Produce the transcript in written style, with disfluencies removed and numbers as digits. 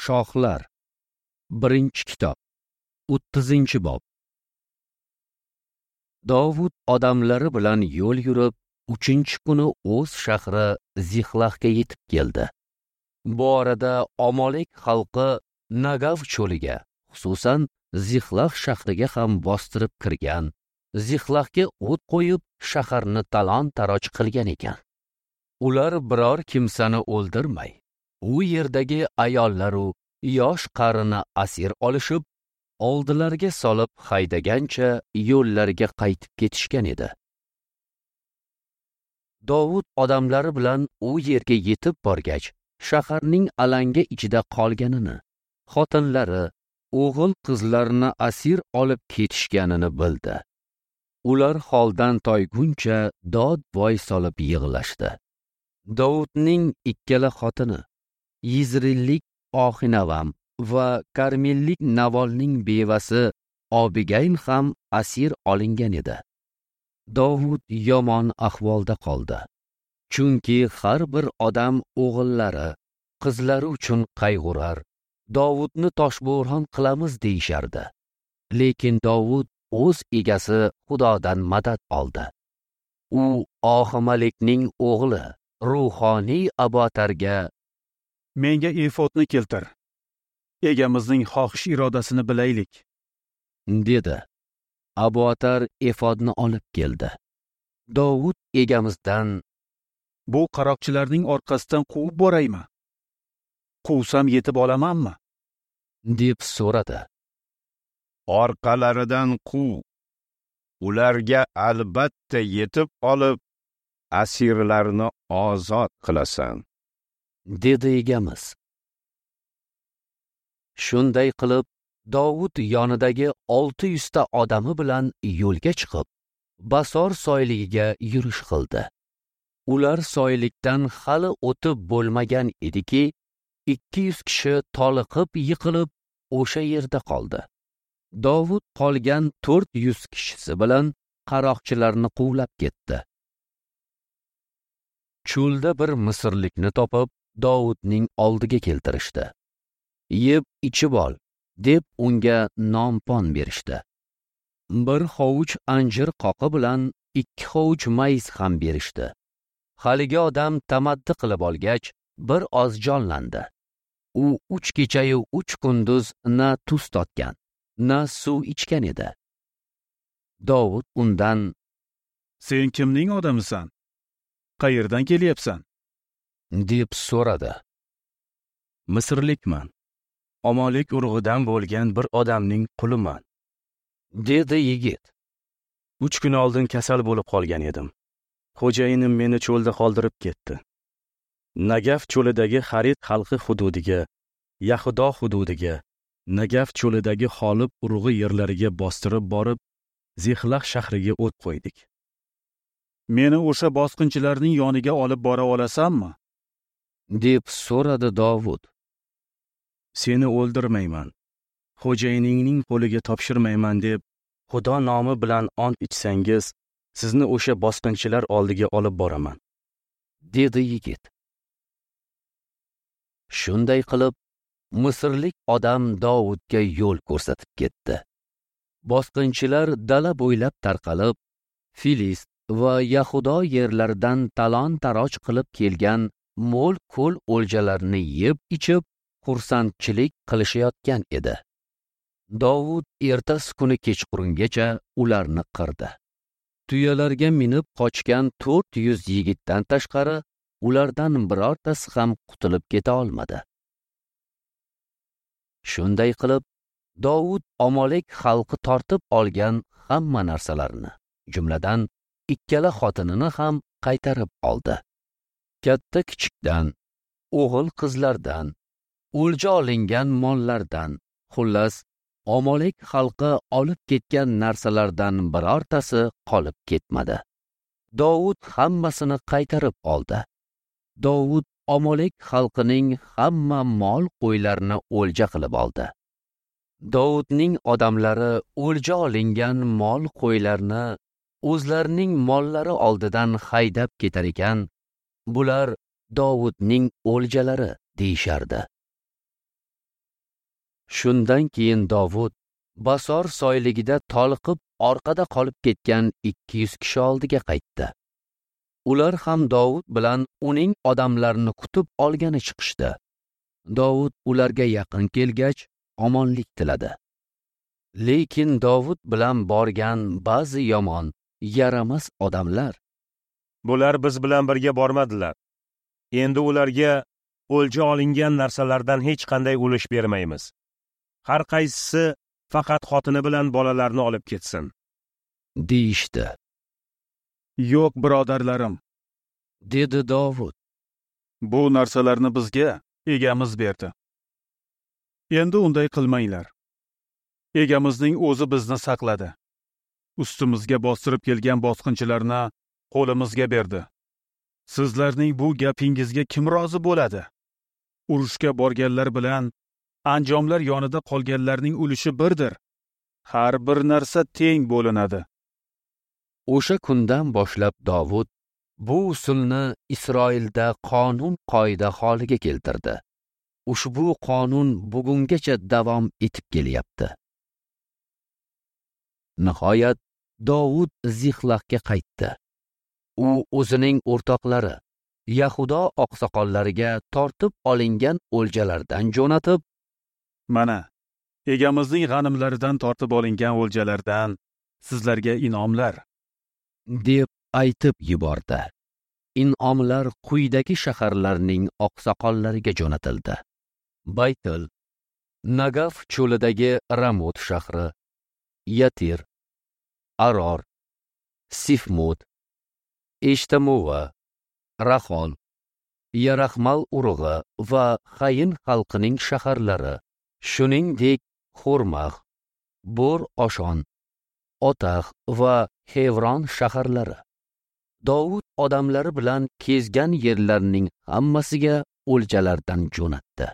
Shohlar. 1-kitob, 30-bob. Dovud odamlari bilan yo'l yurib, 3-kuni o'z shahri Zixlahga yetib keldi. Bu orada Amalek xalqi Nagav cho'liga, xususan Zixlah shahriga ham bostirib kirgan, Zixlahga o't qo'yib, shaharni talon-taroj qilgan ekan. Ular biror kimsani o'ldirmay, u yerdagi ayollaru yosh qarini asir olishib, oldilariga solib haydagancha yo'llariga qaytib ketishgan edi. Dovud odamlari bilan u yerga yetib borgach, shaharning alanga ichida qolganini, xotinlari, o'g'il qizlarini asir olib ketishganini bildi. Ular holdan toyguncha dod-voy solib yig'lashdi. Dovudning ikkala xotini, Yizrillik Oxinavam va Karmellik Navolning bevasi Abigail ham asir olingan edi. Dovud yomon ahvolda qoldi. Chunki har bir odam o'g'illari, qizlari uchun qayg'urar, Dovudni toshbo'ron qilamiz deyishardi. Lekin Dovud o'z egasi Xudodan madad oldi. U Oximalikning o'g'li ruhoniy Abotarga: "Menga efodni keltir. Egamizning xohish irodasini bilaylik", dedi. Abotar efodni olib keldi. Dovud egamizdan: "Bu qaroqchilarning orqasidan quvib boraymi? Quvsam yetib olamanmi?" deb so'radi. "Orqalaridan quv. Ularga albatta yetib olib, asirlarni ozod qilasan", dedi egamiz. Shunday qilib, Dovud yonidagi 600 ta odami bilan yo'lga chiqib, Basor soyligiga yurish qildi. Ular soylikdan hali o'tib bo'lmagan ediki, 200 kishi toliqib yiqilib o'sha yerda qoldi. Dovud qolgan 400 kishisi bilan qaroqchilarni quvlab ketdi. Cho'lda bir misrlikni topib, Dovudning oldiga keltirishdi. "Yeb ichib ol", deb unga non-pon berishdi. Bir hovuch anjir qoqi bilan 2 hovuch mayiz ham berishdi. Haligi odam tamaddi qilib olgach, bir oz jonlandi. U 3 kechayu 3 kunduz na tuz totgan, na suv ichgan edi. Dovud undan: "Sen kimning odamisan? Qayerdan kelyapsan?" deb so'radi. "Misrlikman. Amalek urug'idan bo'lgan bir odamning quliman", dedi yigit. 3 kun oldin kasal bo'lib qolgan edim. Xo'jayinim meni cho'lda qoldirib ketdi. Nagaf cho'lidagi Xarit xalqi hududiga, Yahudo hududiga, Nagaf cho'lidagi Xolib urug'i yerlariga bostirib borib, Zixlah shahriga o't qo'ydik. "Meni o'sha bosqinchilarning yoniga olib bora olasanmi?" deb so'radi Dovud. "Seni o'ldirmayman, xo'jayiningning qo'liga topshirmayman deb Xudo nomi bilan ont ichsangiz, sizni o'sha bosqinchilar oldiga olib boraman", dedi yigit. Shunday qilib, misrlik odam Dovudga yo'l ko'rsatib ketdi. Bosqinchilar dala bo'ylab tarqalib, Filist va Yahudo yerlaridan talon-taroj qilib kelgan mo'l ko'l o'ljalarini yeb ichib, xursandchilik qilishayotgan edi. Dovud ertasi kuni kechqurungacha ularni qirdi. Tuyalarga minib qochgan 400 yigitdan tashqari ulardan birortasi ham qutulib keta olmadi. Shunday qilib, Dovud Amalek xalqi tortib olgan hamma narsalarni, jumladan ikkala xotinini ham qaytarib oldi. Katta kichikdan, o'g'il qizlardan, o'lja olingan mollardan, xullas, Amalek xalqi olib ketgan narsalardan birortasi qolib ketmadi. Dovud hammasini qaytarib oldi. Dovud Amalek xalqining hamma mol qo'ylarini o'lja qilib oldi. Dovudning odamlari o'lja olingan mol qo'ylarni o'zlarining mollari oldidan haydab ketar ekan, bular Dovudning o'ljalari deyishardi. Shundan keyin Dovud Basor soyligida toliqib orqada qolib ketgan 200 kishi oldiga qaytdi. Ular ham Dovud bilan uning odamlarini kutib olgani chiqishdi. Dovud ularga yaqin kelgach, omonlik tiladi. Lekin Dovud bilan borgan ba'zi yomon, yaramas odamlar: "Bular biz bilan birga bormadilar. Endi ularga o'lja olingan narsalardan hech qanday ulush bermaymiz. Har qaysisi faqat xotini bilan bolalarini olib ketsin", deyishdi. "Yo'q, birodarlarim", dedi Dovud. "Bu narsalarni bizga egamiz berdi. Endi unday qilmanglar. Egamizning o'zi bizni saqladi. Ustimizga bostirib kelgan bosqinchilarni qo'limizga berdi. Sizlarning bu gapingizga kim rozi bo'ladi? Urushga borganlar bilan anjomlar yonida qolganlarning ulushi birdir. Har bir narsa teng bo'linadi." O'sha kundan boshlab Dovud bu usulni Isroilda qonun qoida holiga keltirdi. Ushbu qonun bugungacha davom etib kelyapti. Nihoyat Dovud Zixlaqqa qaytdi. U o'zining o'rtoqlari Yahudo oqsoqollariga tortib olingan o'ljalardan jo'natib, "Mana, egamizning g'animlaridan tortib olingan o'ljalardan sizlarga inomlar", deb aytib yubordi. Inomlar quyidagi shaharlarning oqsoqollariga jo'natildi: Baytil, Nagaf cho'lidagi Ramot shahri, Yatir, Aror, Sifmut, Eshtamova, Rahol, Yarahmal urug'i va Hayin xalqining shaharlari, shuningdek Xurmax, Bor Oshon, Otax va Xevron shaharlari. Dovud odamlari bilan kezgan yerlarning hammasiga o'ljalardan jo'natdi.